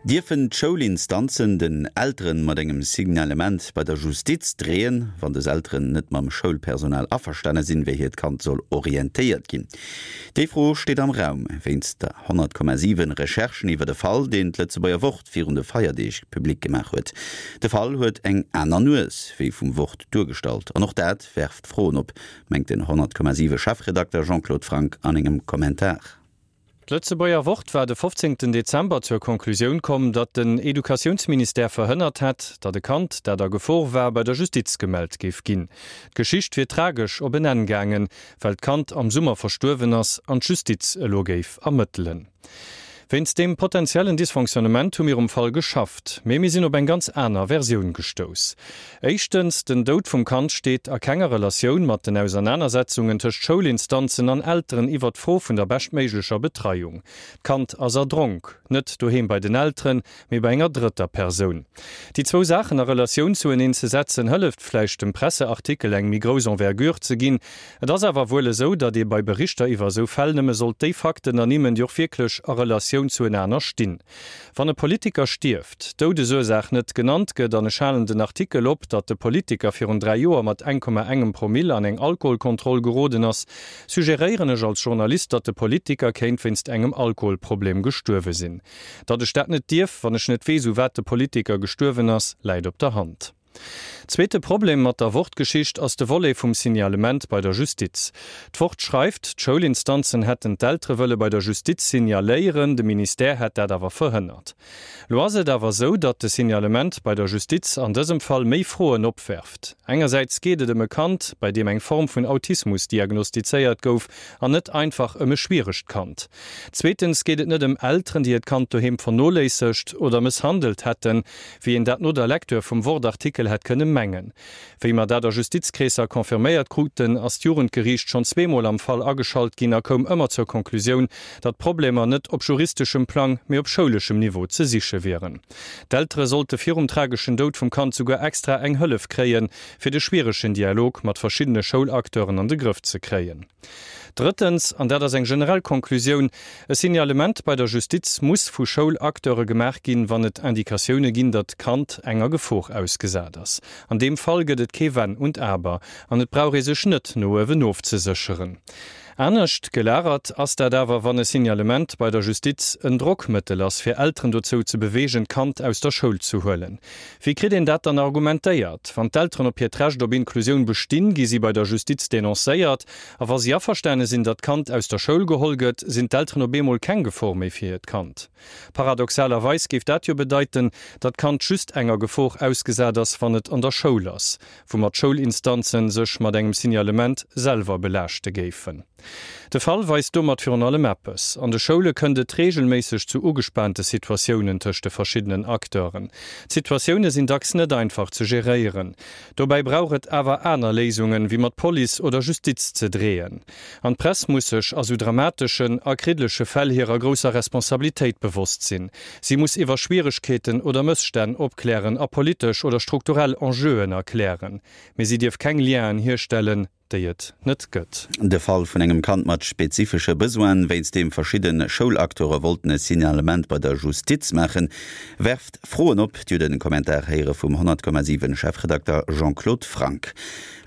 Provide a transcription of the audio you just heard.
Dierfen d'Schoulinstanzen den Elteren mat engem Signalement bei der Justiz dreeën, wann des Elteren net mam Schoulpersonal averstane sinn, wéi hiert Kand soll orientéiert ginn? Déi Fro steet am Raum wéinst der 100,7 Recherchen iwwer e Fall, deen d'Lëtzebuerger Wort virun de Feierdeeg public gemaach huet. De Fall huet eng aner Nues wéi vum Wort duergestallt an och dat werft Froen op, mengt den 100,7 Chefredakter Jean-Claude Franck an engem Kommentar. D'Lëtzebuerger Wort war de 15 Dezember zur Konklusioun komm, datt den Educatiounsministère verhënnert hätt, datt e Kand, dat a Gefor war, bei der Justiz gemellt géif ginn. D'Geschicht wier tragesch op en Enn gaangen, well d'Kand am Summer verstuerwen ass an d'Justiz elo géif ermëttelen. Wéinst deem potentiellen Dysfonctionnement hu mir um Fall geschafft, mee mir sinn op eng ganz aner Versioun gestouss. Éischtens, den Doud vum Kand steet a kenger Relatioun mat den Ausernanersetzungen tëscht Schoulinstanzen an Elteren iwwert d'Fro vun der beschtméiglecher Betreiung. D'Kand ass erdronk, net doheem bei den Elteren, mee bei enger drëtter Persoun. Déi zwou Saachen a Relatioun zueneen ze setzen, hëlleft vläicht dem Presseartikel eng méi grouss Envergure ze ginn. Et ass awer wuel esou, datt ee bei Berichter iwwer esou Fäll nëmme sollt déi Fakten ernimmen, déi och wierklech a Relatioun zuenaner stinn. Wann e Politiker stierft, d'Doudesursaach net genannt gëtt an ech halen den Artikel op, datt de Politiker virun 3 Joer mat 1,engem Promille an eng Alkoholkontroll geroden ass, suggeréieren ech als Journalist, datt de Politiker kéint wéinst engem Alkoholproblem gestuerwe sinn. Datt ech dat net dierf, wann ech net weess, u wat de Politiker gestuerwen ass, läit op der Hand. Zweete Problem mat der Wort-Geschicht ass de Volet vum Signalement bei der Justiz. D'Wort schreift, d'Schoulinstanzen hätten d'Eltere wëlle bei der Justiz signaléieren, de Ministère hätt dat awer verhënnert. Lo ass et awer esou, datt de Signalement bei der Justiz an dësem Fall méi Froen opwerft. Engersäits geet et ëm e Kand, bei deem eng Form vun Autismus diagnostizéiert gouf, an net einfach ëm e schwieregt Kand. Zweetens geet et net ëm Elteren, déi hiert Kand doheem vernoléissegt oder mësshandelt hätten, wéi een dat no der Lecture vum Wort-Artikel hätt kënne mengen. Wéi mer dat a Justizkreesser confirméiert kruten, ass d'Jugendgeriicht schonn zweemol am Fall ageschalt ginn a koum ëmmer zur Konklusioun, datt d'Problemer net op juristeschem Plang, mee op schouleschem Niveau ze siche wieren. D'Eltere sollte virum trageschen Doud vum Kand souguer extra eng Hëllef kréien, fir de schwieregen Dialog mat verschiddene Schoulacteuren an de Grëff ze kréien. Drëttens, an dat ass eng generell Konklusioun, E Signalement bei der Justiz muss vu Schoulacteure gemaach ginn, wann et Indikatioune ginn, datt d'Kand enger Gefor ausgesat ass. An deem Fall gëtt et kee Wenn und Aber an et brauch ee sech net no uewen ofzesécheren. Anescht gelagert ass dat awer, wann e Signalement bei der Justiz en Drockmëttel ass, fir Elteren dozou ze beweegen, d'Kand aus der Schoul ze huelen. Wéi kritt een dat dann argumentéiert? Wann d'Elteren op hiert Recht op Inklusioun bestinn, gi si bei der Justiz denoncéiert. A wa si averstane sinn, datt d'Kand aus der Schoul geholl gëtt, sinn d'Elteren op eemol keng Gefor méi fir hiert Kand. Paradoxalerweis géif dat jo bedeiten, datt d'Kand just enger Gefor ausgesat ass, wann et an der Schoul ass, woumat d'Schoulinstanze sech mat engem Signalement selwer belaaschte géifen. De Fall weist domat virun allem eppes, An de Schoule kënnt et reegelméisseg zu ugespaante Situatiounen tëscht de verschiddenen Acteuren. D'Situatioune sinn dacks net einfach ze geréieren. Dobäi brauch et awer aner Léisungen, wéi mat Police oder Justiz ze dreeën. An d'Press muss sech a sou dramateschen a kriddleche Fäll hirer grousser Responsabilitéit bewosst sinn. Si muss iwwer Schwieregkeeten oder Mësstänn opklären a politesch oder strukturell Enjeuen erklären. Mee si dierf keng Lienen hierstellen, déi et net gëtt. De Fall vun engem Kand mat spezifesche Besoinen, wéinst deem verschidde Schoulacteure wollten e Signalement bei der Justiz maachen, werft Froen op. Dir hutt e Kommentar héiere vum 100,7 Chefredakter Jean-Claude Franck.